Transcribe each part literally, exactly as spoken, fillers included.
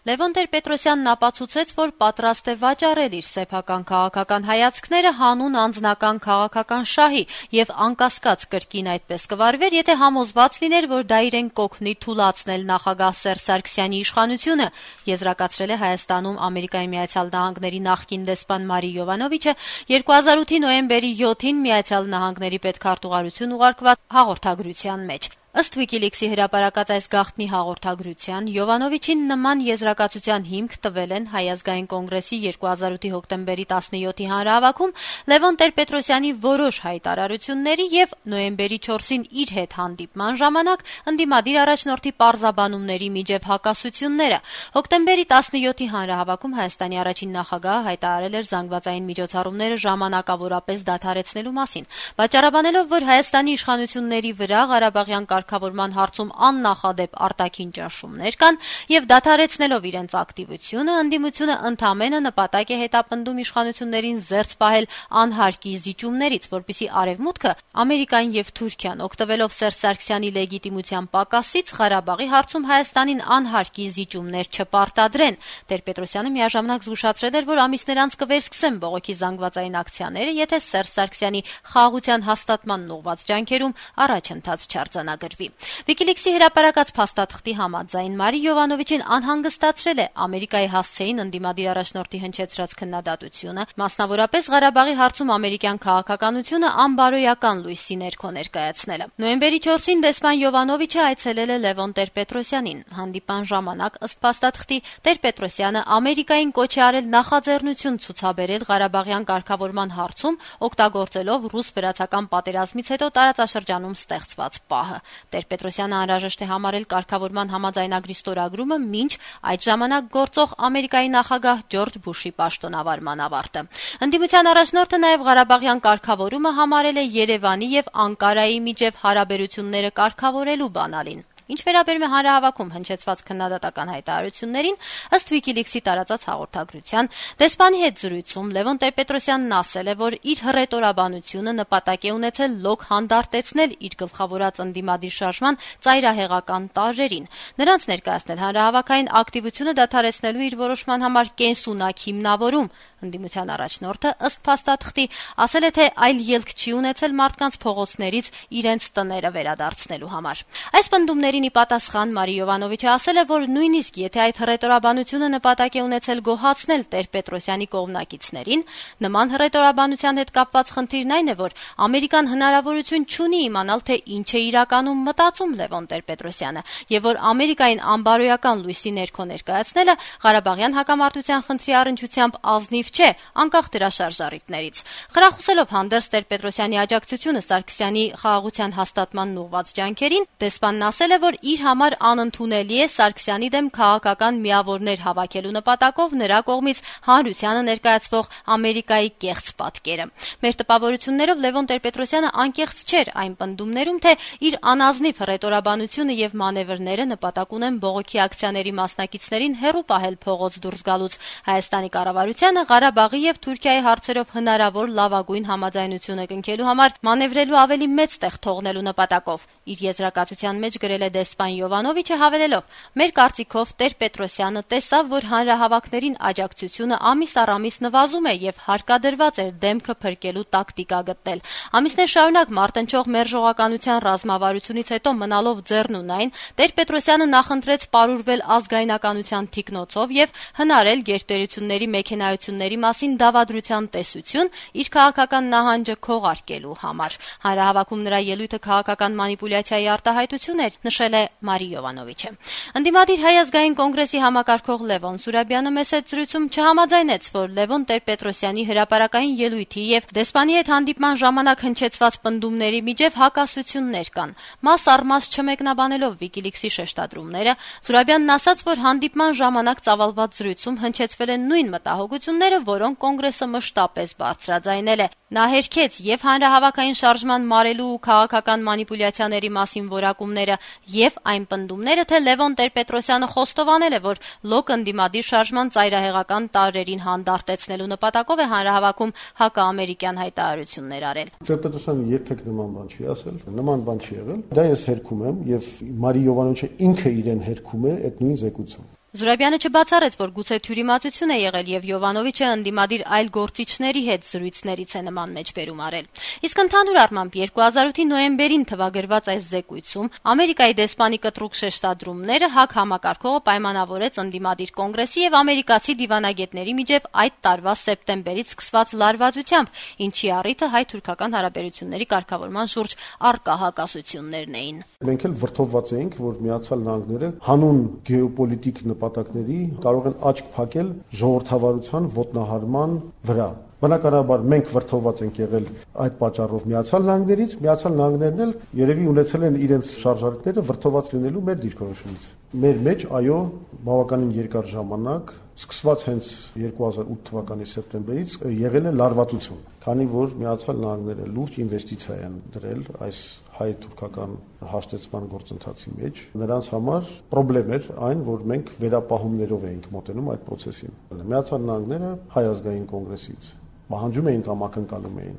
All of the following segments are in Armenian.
Լևոն Տեր-Պետրոսյանն ապացուցեց, որ պատրաստ է վաճառել իր սեփական քաղաքական հայացքները հանուն անձնական քաղաքական շահի եւ անկասկած կրկին այդպես կվարվեր, եթե համոզված լիներ, որ դա իրեն կօգնի թուլացնել նախագահ Սերժ Սարգսյանի իշխանությունը, եզրակացրել է Հայաստանում Ամերիկայի Միացյալ Նահանգների նախկին դեսպան Մարի Յովանովիչը երկու հազար ութի նոյեմբերի յոթին Միացյալ Նահանգների պետքարտուղարություն ուղարկված հաղորդագրության մեջ։ Ըստ Wikileaks-ի հրապարակած այս գաղտնի հաղորդագրության Յովանովիչին նման եզրակացության հիմք տվել են Հայ ազգային կոնգրեսի երկու հազար ութի հոկտեմբերի տասնյոթի հանրահավաքում Լևոն Տեր-Պետրոսյանի որոշ հայտարարությունների եւ նոյեմբերի չորսին իր հետ հանդիպման ժամանակ ընդդիմադիր առաջնորդի պարզաբանումների միջև հակասությունները։ Հոկտեմբերի տասնյոթի հանրահավաքում Հայաստանի առաջին նախագահը հայտարարել էր զանգվածային միջոցառումները ժամանակավորապես դադարեցնելու մասին, վաճառաբանելով, որ Հայաստանի իշխանությունների վրա Ղարաբաղյան կարգավորման հարցում աննախադեպ արտաքին ճնշումներ կան եւ դադարեցնելով իրենց ակտիվությունը, ընդդիմությունը ընդամենը նպատակ է հետապնդում իշխանություններին զերծ պահել անհարկի զիջումներից, որպեսզի Արևմուտքը, Ամերիկան եւ Թուրքիան օգտվելով Սերժ Սարգսյանի լեգիտիմության պակասից Ղարաբաղի հարցում Հայաստանին անհարկի զիջումներ չպարտադրեն։ Տեր-Պետրոսյանը միաժամանակ զգուշացրել էր, որ ամիսներ անց կվերսկսեն բողոքի զանգվածային ակցիաները, եթե Սերժ Սարգսյանի խաղաղության հաստատմանն ուղղված ջանքերում առաջընթաց չարձանագրվի։ Wikileaks-ի հրապարակած փաստաթղթի համաձայն Մարի Յովանովիչին անհանգստացրել է Ամերիկայի հասցեին ընդդիմադիր առաջնորդի հնչեցրած քննադատությունը, մասնավորապես Ղարաբաղի հարցում ամերիկյան քաղաքականությունը անբարոյական լույսի ներքո ներկայացնելը։ Նոյեմբերի չորսին դեսպան Յովանովիչը այցելել է Լևոն Տեր-Պետրոսյանին։ Հանդիպան ժամանակ, ըստ փաստաթղթի, Տեր-Պետրոսյանը Ամերիկային կոչ է արել նախաձեռնություն ցուցաբերել Ղարաբաղյան կարգավորման հարցում, օգտագործելով ռուս-վրացական պատերազմից հետո տարածաշրջանում ստեղծված պահը։ Տեր-Պետրոսյանը անհրաժեշտ է համարել կարգավորման համաձայնագրի ստորագրումը մինչ այդ ժամանակ գործող Ամերիկայի նախագահ Ջորջ Բուշի պաշտոնավարման ավարտը։ Ընդդիմության առաջնորդը նաև Ղարաբաղյան կարգավորումը համարել է Երևանի եւ Անկարայի միջև հարաբերությունները կարգավորելու բանալին։ Ինչ վերաբերում է հանրահավաքում հնչեցված քննադատական հայտարարություններին, ըստ Wikileaks-ի տարածած հաղորդագրության, դեսպանի հետ զրույցում Լևոն Տեր-Պետրոսյանն ասել է, որ իր հռետորաբանությունը նպատակ է ունեցել լոկ հանդարտեցնել իր գլխավորած ընդդիմադիր շարժման ծայրահեղական տարրերին։ Նրանց ներկայացնել հանրահավաքային ակտիվությունը դադարեցնելու իր որոշման համար կենսունակ հիմնավորում։ Ընդդիմության առաջնորդը, ըստ փաստաթղթի, ասել է, թե այլ ելք չի ունեցել մարդկանց փողոցներից իրենց տները վերադարձնելու համար։ Այս պնդումներին ի պատասխան Մարի Յովանովիչը ասել է, որ նույնիսկ եթե այդ հռետորաբանությունը նպատակ է ունեցել գոհացնել Տեր-Պետրոսյանի կողմնակիցներին, նման հռետորաբանության հետ կապված խնդիրն այն է, որ Ամերիկան հնարավորություն չունի իմանալ, թե ինչ է իրականում մտածում Լևոն Տեր-Պետրոսյանը, եւ որ Ամերիկային անբարոյական լույսի ներքո ներկայացնելը Ղարաբաղյան հակամարտության խնդրի առնչությամբ ազնիվ չէ, անկախ դրա շարժառիթներից։ Խրախուսելով հանդերձ Տեր-Պետրոսյանի աջակցությունը Սարգսյանի խաղաղության հաստատմանն ուղղված ջանքերին, դեսպանն ասել է, որ իր համար անընդունելի է Սարգսյանի դեմ քաղաքական միավորներ հավաքելու նպատակով նրա կողմից հանրությանը ներկայացվող Ամերիկայի կեղծ պատկերը։ Մեր տպավորություններով Լևոն Տեր-Պետրոսյանը անկեղծ չէր այն պնդումներում, թե իր անազնիվ հռետորաբանությունը եւ մանևրները նպատակ ունեն բողոքի ակցիաների մասնակիցներին հեռու պահել փողոց դուրս գալուց։ Հայաստանի կառավարությանը Ղարաբաղի եւ Թուրքիայի հարցերով հնարավոր լավագույն համաձայնությունը կնքելու համար մանևրելու ավելի մեծ տեղ թողնելու նպատակով։ Իր եզրակացության մեջ գրել է դեսպան Յովանովիչը հավելելով. «Մեր կարծիքով Տեր-Պետրոսյանը տեսավ, որ հանրահավաքներին աջակցությունը ամիս առ ամիս նվազում է եւ հարկադրված էր դեմքը փրկելու տակտիկա գտնել։ Ամիսներ շարունակ մարտնչող մերժողականության ռազմավարությունից հետո մնալով ձեռնունայն, Տեր-Պետրոսյանը նախընտրեց պարուրվել ազգայնականության թիկնոցով եւ հնարել գերտերությունների մեքենայությունների մասին դավադրության տեսություն իր քաղաքական նահանջը քողարկելու համար»։ Հանրահավաքում նրա ելույթը քաղաքական մանիպուլյացիայի արտահայտություն էր, նշել է Մարի Յովանովիչը։ Ընդդիմադիր Հայ ազգային կոնգրեսի համակարգող Լևոն Սուրաբյանը մեծ զրույցում չհամաձայնեց, որ Լևոն Տեր-Պետրոսյանի հրապարակային ելույթի եւ դեսպանի հետ հանդիպման ժամանակ հնչեցված պնդումների միջև հակասություններ կան։ Մաս առ մաս չմեկնաբանելով Wikileaks-ի շեշտադրումները, Սուրաբյանն ասաց, որ հանդիպման ժամանակ ծավալված զրույցում հնչեցվել են նույն մտահոգությունները, որոնք կոնգրեսը մշտապես բարձրաձայնել է։ Նա հերքեց եւ հանրահավաքային շարժման մարելու ու քաղաքական մանիպուլյացիաների մասին որակումները եւ այն պնդումները, թե Լևոն Տեր-Պետրոսյանը խոստովանել է, որ լոկ ընդդիմադիր շարժման ծայրահեղական տարրերին հանդարտեցնելու նպատակով է հանրահավաքում հակաամերիկյան հայտարարություններ արել։ Տեր-Պետրոսյանը երբեք նման բան չի ասել, նման բան չի եղել։ Դա ես հերքում եմ եւ Մարի Յովանովիչը ինքը իրեն հերքում է այդ նույն զեկուցում։ Զուրաբյանը չբացառեց, որ գուցե թյուրիմացություն է եղել եւ Յովանովիչը ընդդիմադիր այլ գործիչների հետ զրույցներից է նման մեջբերում արել։ Իսկ ընդհանուր առմամբ երկու հազար ութի նոյեմբերին թվագրված այս զեկույցում Ամերիկայի դեսպանի կտրուկ շեշտադրումները ՀԱԿ համակարգողը պայմանավորեց ընդդիմադիր կոնգրեսի եւ ամերիկացի դիվանագետների միջև այդ տարվա սեպտեմբերից սկսված լարվածությամբ, ինչի առիթը հայ-թուրքական հարաբերությունների կարգավորման շուրջ առկա հակասություններն էին։ Մենք էլ վրդովված էինք, որ Միացյալ Նահանգները հանուն գեոպոլիտիկ նպատակների կարող են աչք փակել ժողովրդավարության ոտնահարման վրա։ Բնականաբար մենք վրդովված ենք եղել այդ պատճառով Միացյալ Նահանգներից, Միացյալ Նահանգներն էլ երևի ունեցել են իրենց շարժարքները վրդովված լինելու մեր դիրքորոշումից։ Մեր մեջ, այո, բավականին երկար ժամանակ, սկսված հենց երկու հազար ութ թվականի սեպտեմբերից եղել է լարվածություն, քանի որ Միացյալ Նահանգները լուրջ ինվեստիցիա են դրել այս հայ-թուրքական հաշտեցման գործընթացի մեջ։ Նրանց համար խնդրեմ էր այն, որ մենք վերապահումներով էինք մոտենում այդ process-ին։ Միացյալ Նահանգները հայ ազգային կոնգրեսից պահանջում էին կամ ակնկալում էին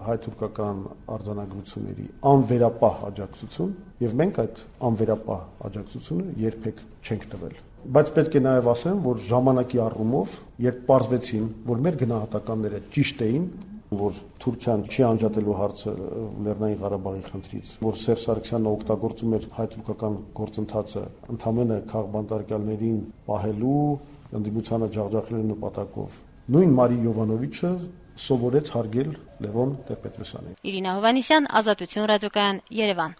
հայ-թուրքական արձանագրությունների անվերապահ աջակցություն, եւ մենք այդ անվերապահ աջակցությունը երբեք չենք տվել։ Բայց պետք է նաև ասեմ, որ ժամանակի առումով, երբ պարզվեցին, որ մեր գնահատականները ճիշտ էին, որ Թուրքիան չի անջատելու հարցը Լեռնային Ղարաբաղի խնդրից, որ Սերժ Սարգսյանը օգտագործում էր հայ-թուրքական գործընթացը ընդհանրապես քաղբանտարկյալներին պահելու, ընդդիմությանը ջախջախելու նպատակով, նույն Մարի Յովանովիչը սովորեց հարգել Լևոն Տեր-Պետրոսյանին։ Իրինա Հովհաննիսյան, Ազատություն ռադիոկայան, Երևան։